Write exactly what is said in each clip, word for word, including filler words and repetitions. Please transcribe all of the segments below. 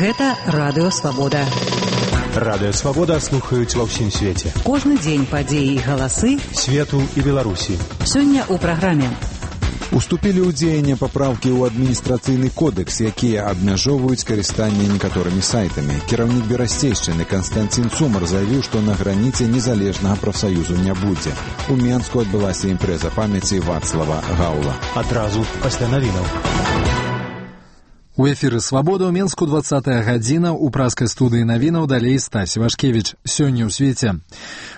Гэта Радыё Свабода. Радыё Свабода слухаюць ва ўсім свеце. Кожны дзень падзеі і галасы свету і Беларусі. Сёння ў праграме. Уступілі ў дзеянне папраўкі ў адміністрацыйны кодэкс, якія абмяжоўваюць карыстанне некаторымі сайтамі. Кіраўнік Берасцейшчыны Канстанцін Цумар заявіў, што на граніце незалежнага прафсаюзу не будзе. У Менску адбылася імпрэза памяці Вацлава Гаўла. Адразу пасля навінаў. У эфіры «Свабода» ў Менску двадцатая гадзіна, у праскай студыі навінаў далей Стась Вашкевіч. Сёння ў свеце.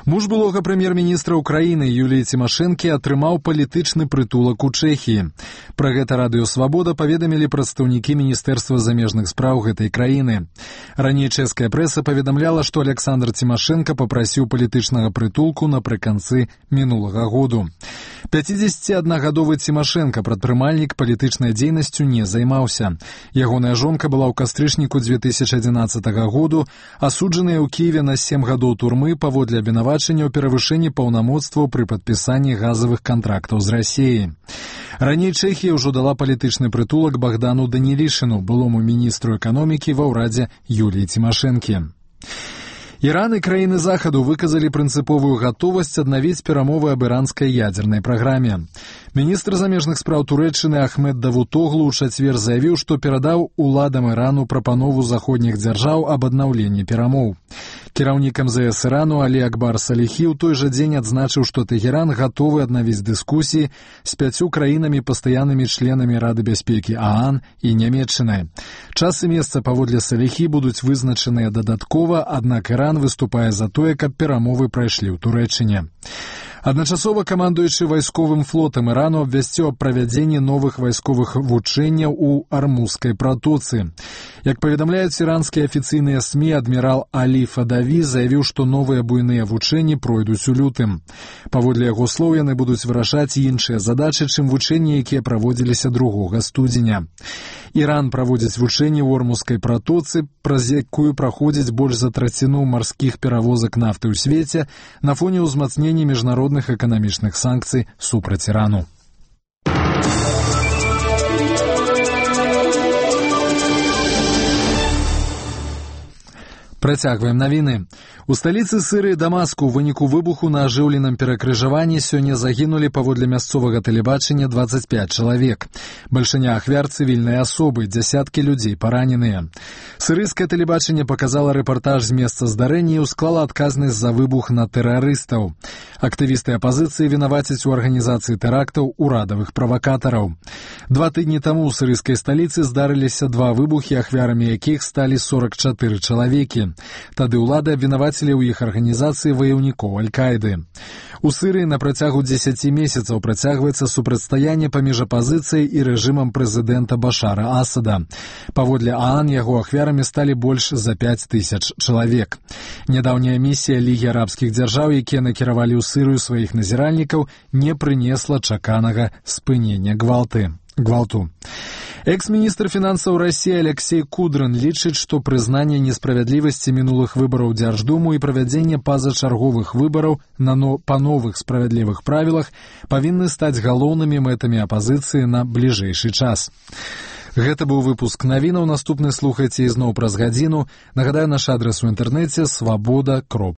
Муж былога прэм'ер-міністра Украіны Юліі Цімашэнкі атрымаў палітычны прытулак у Чэхіі. Пра гэта Радыё Свабода паведамілі прадстаўнікі Міністэрства замежных спраў гэтай краіны. Раней чэшская прэса паведамляла, што Александр Цімашэнка папрасіў палітычнага прытулку напрыканцы мінулага году. пяцідзесяціаднагадовы Цімашэнка, прадпрымальнік, палітычнай дзейнасцю не займаўся. Ягоная жонка была ў кастрычніку дзве тысячы адзінаццатага году асуджаная ў Кіеве на сем гадоў турмы паводле абвінавачання ў перавышэнні паўнамоцтваў пры падпісанні газавых кантрактаў з Расіяй. Раней Чэхія ўжо дала палітычны прытулак Богдану Данілішыну, былому міністру эканомікі ва ўрадзе Юліі Цімашэнкі. Іран і краіны Захаду выказалі прынцыповую гатовасць аднавіць перамовы аб іранскай ядзернай праграме. Міністр замежных спраў Турэччыны Ахмед Давутоглу ў чацвер заявіў, што перадаў уладам Ірану прапанову заходніх дзяржаў аб аднаўленні перамоў. Кіраўнік эм зэ эс Ірану Алі Акбар Саліхі ў той жа дзень адзначыў, што Тэгеран гатовы аднавіць дыскусіі з пяццю краінамі пастаяннымі членамі Рады бяспекі ААН і Нямецчынай. Час і месца паводле Саліхі будуць вызначаныя дадаткова, аднак Іран выступае за тое, каб перамовы прайшлі ў Турэччыне. Адначасова камандуючы вайсковым флотам Ірану абвясціў аб правядзенні новых вайсковых вучэнняў у Армузскай пратоцы. Як паведамляюць іранскія афіцыйныя СМІ, адмірал Алі Фадаві заявіў, што новыя буйныя вучэнні пройдуць у лютым. Паводле яго слоў, яны будуць вырашаць іншыя задачы, чым вучэнні, якія праводзіліся другога студзеня. Іран праводзіць вучэнні ў Ормузскай пратоцы, праз якую праходзіць больш за траціну марскіх перавозак нафты ў свеце на фоне ўзмацнення міжнародных эканамічных санкцый супраць Ірану. Працягваем навіны. У сталіцы Сірыі Дамаску ў выніку выбуху на ажыўленым перакрыжаванні сёння загінулі паводле мясцовага тэлебачання дваццаць пяць чалавек. Бальшыня ахвяр цывільныя асобы, дзясяткі людзей параненыя. Сірыйскае тэлебачанне паказала рэпартаж з месца здарэння і ўсклала адказнасць за выбух на тэрарыстаў. Актывісты апазіцыі вінавацяць у арганізацыі тэрактаў урадавых правакатараў. Два тыдні таму ў сірыйскай сталіцы здарыліся два выбухі, ахвярамі якіх сталі сорак чатыры чалавекі. Тады ўлады абвінавацілі ў іх арганізацыі ваяўнікоў Аль-Каіды. У Сірыі на працягу дзесяці месяцаў працягваецца супрацьстаянне паміж апазіцыяй і рэжымам прэзідэнта Башара Асада. Паводле ААН яго ахвярамі сталі больш за пяць тысяч чалавек. Нядаўняя місія Лігі арабскіх дзяржаў, якія накіравалі ў Сірыю сваіх назіральнікаў, не прынесла чаканага спынення гвалты. гвалту. Экс-міністр фінансаў Расіі Алексей Кудрын лічыць, што прызнанне несправядлівасці мінулых выбараў Дзярждуму і правядзенне пазачарговых выбараў на но... па новых справядлівых правілах павінны стаць галоўнымі мэтамі апазіцыі на бліжэйшы час. Гэта быў выпуск навінаў. Наступны слухайце ізноў праз гадзіну. Нагадаю, наш адрас у інтэрнэце свабода кропка